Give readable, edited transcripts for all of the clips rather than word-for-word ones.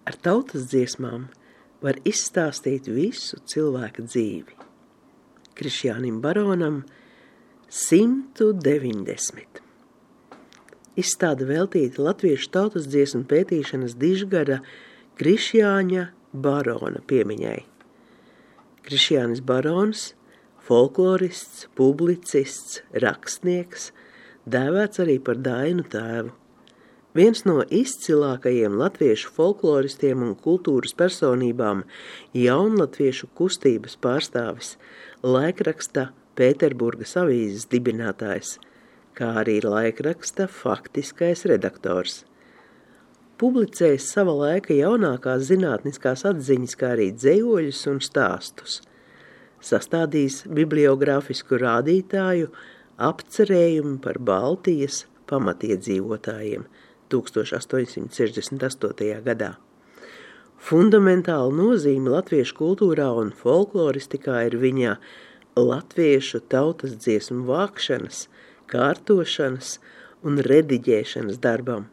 Ar tautas dziesmām var izstāstīt visu cilvēka dzīvi. Krišjānim Baronam 190. Izstāde veltīta latviešu tautas dziesmu pētīšanas dižgada Krišjāņa Barona piemiņai. Krišjānis Barons, folklorists, publicists, rakstnieks, dēvēts arī par Dainu tēvu. Viens no izcilākajiem latviešu folkloristiem un kultūras personībām, jaunlatviešu kustības pārstāvis, laikraksta Pēterburgas avīzes dibinātājs, kā arī laikraksta faktiskais redaktors. Publicējis sava laika jaunākās zinātniskās atziņas, kā arī dzejoļus un stāstus. Sastādījis bibliogrāfisku rādītāju apcerējumu par Baltijas pamatiedzīvotājiem 1868. gadā. Fundamentāla nozīme latviešu kultūrā un folkloristikā ir viņa latviešu tautas dziesmu vākšanas, kārtošanas un rediģēšanas darbam,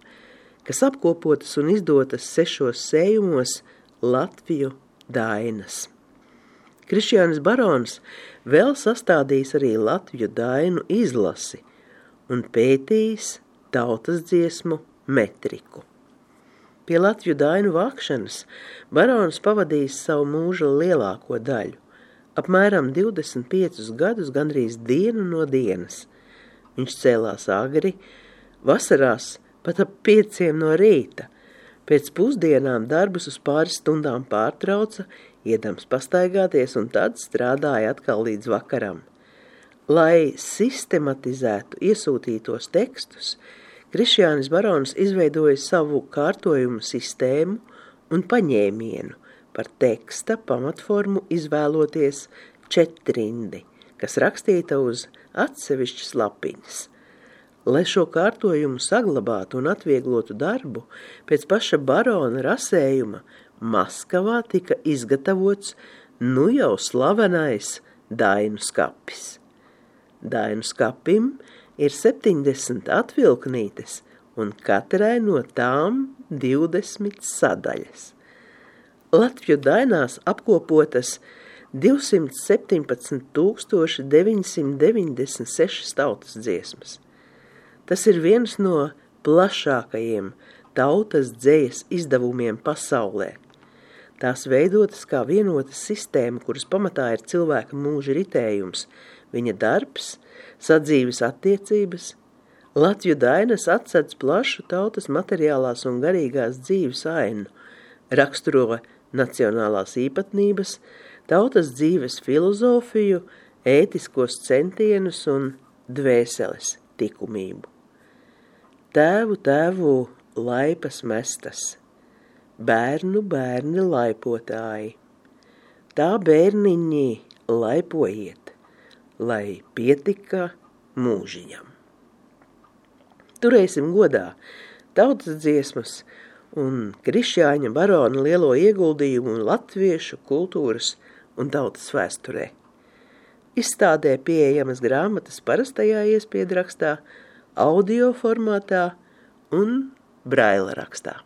kas apkopotas un izdotas 6 sējumos Latviju dainas. Krišjānis Barons vēl sastādījis arī Latviju dainu izlasi un pētījis tautas dziesmu metriku. Pie Latviju dainu vākšanas Barons pavadījis savu mūža lielāko daļu, apmēram 25 gadus gandrīz dienu no dienas. Viņš cēlās agri, vasarās pat ap 5 no rīta. Pēc pusdienām darbus uz pāris stundām pārtrauca, iedams pastaigāties un tad strādāja atkal līdz vakaram. Lai sistematizētu iesūtītos tekstus, Krišjānis Barons izveidoja savu kārtojumu sistēmu un paņēmienu par teksta pamatformu izvēloties 4-rindi, kas rakstīta uz atsevišķas lapiņas. Lai šo kārtojumu saglabātu un atvieglotu darbu, pēc paša Barona rasējuma Maskavā tika izgatavots nu jau slavenais dainu skapis. Dainu skapim ir 70 atvilknītes un katrai no tām 20 sadaļas. Latviju dainās apkopotas 217 996 tautas dziesmas. Tas ir viens no plašākajiem tautas dzejas izdevumiem pasaulē. Tās veidotas kā vienota sistēma, kuras pamatā ir cilvēka mūža ritējums, viņa darbs, sadzīves attiecības. Latviju dainas atsedz plašu tautas materiālās un garīgās dzīves ainu, raksturo nacionālās īpatnības, tautas dzīves filozofiju, ētiskos centienus un dvēseles tikumību. Tēvu laipas mestas, bērni laipotāji, tā bērniņi laipojiet, lai pietika mūžiņam. Turēsim godā tautas dziesmas un Krišjāņa Barona lielo ieguldījumu latviešu kultūras un tautas vēsturē. Izstādē pieejamas grāmatas parastajā iespiedu rakstā, audio formātā un braila rakstā.